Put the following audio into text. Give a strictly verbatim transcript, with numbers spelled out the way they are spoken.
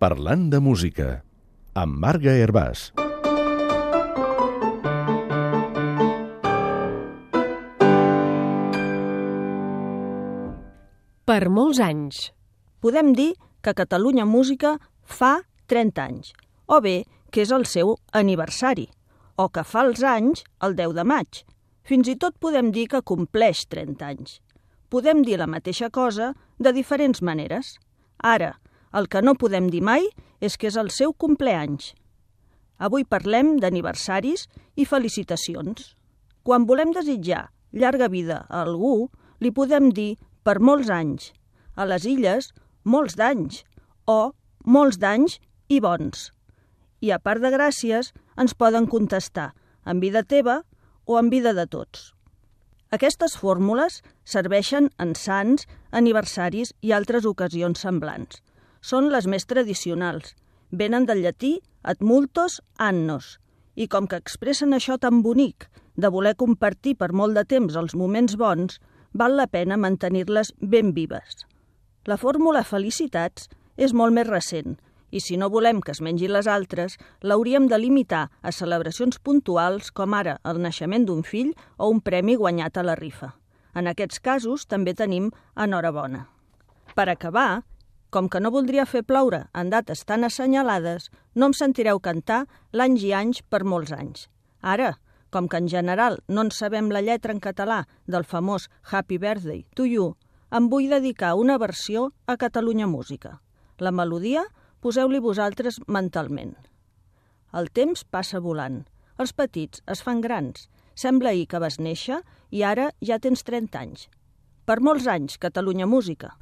Parlant de música, amb Marga Hervàs. Per molts anys. Podem dir que Catalunya Música fa trenta anys, o bé que és el seu aniversari, o que fa els anys el deu de maig. Fins i tot podem dir que compleix trenta anys. Podem dir la mateixa cosa de diferents maneres. Ara, el que no podem dir mai és que és el seu compleanys. Avui parlem d'aniversaris i felicitacions. Quan volem desitjar llarga vida a algú, li podem dir per molts anys. A les Illes, molts d'anys, o molts d'anys i bons. I a part de gràcies, ens poden contestar en vida teva o en vida de tots. Aquestes fórmules serveixen en sants, aniversaris i altres ocasions semblants. Són les més tradicionals. Venen del llatí ad multos annos. I com que expressen això tan bonic de voler compartir per molt de temps els moments bons, val la pena mantenir-les ben vives. La fórmula felicitats és molt més recent i si no volem que es mengi les altres, l'hauríem de limitar a celebracions puntuals com ara el naixement d'un fill o un premi guanyat a la rifa. En aquests casos també tenim enhorabona. Per acabar, com que no voldria fer ploure en dates tan assenyalades, no em sentireu cantar l'anys i anys per molts anys. Ara, com que en general no en sabem la lletra en català del famós Happy Birthday to You, em vull dedicar una versió a Catalunya Música. La melodia poseu-li vosaltres mentalment. El temps passa volant. Els petits es fan grans. Sembla ahir que vas néixer i ara ja tens trenta anys. Per molts anys, Catalunya Música.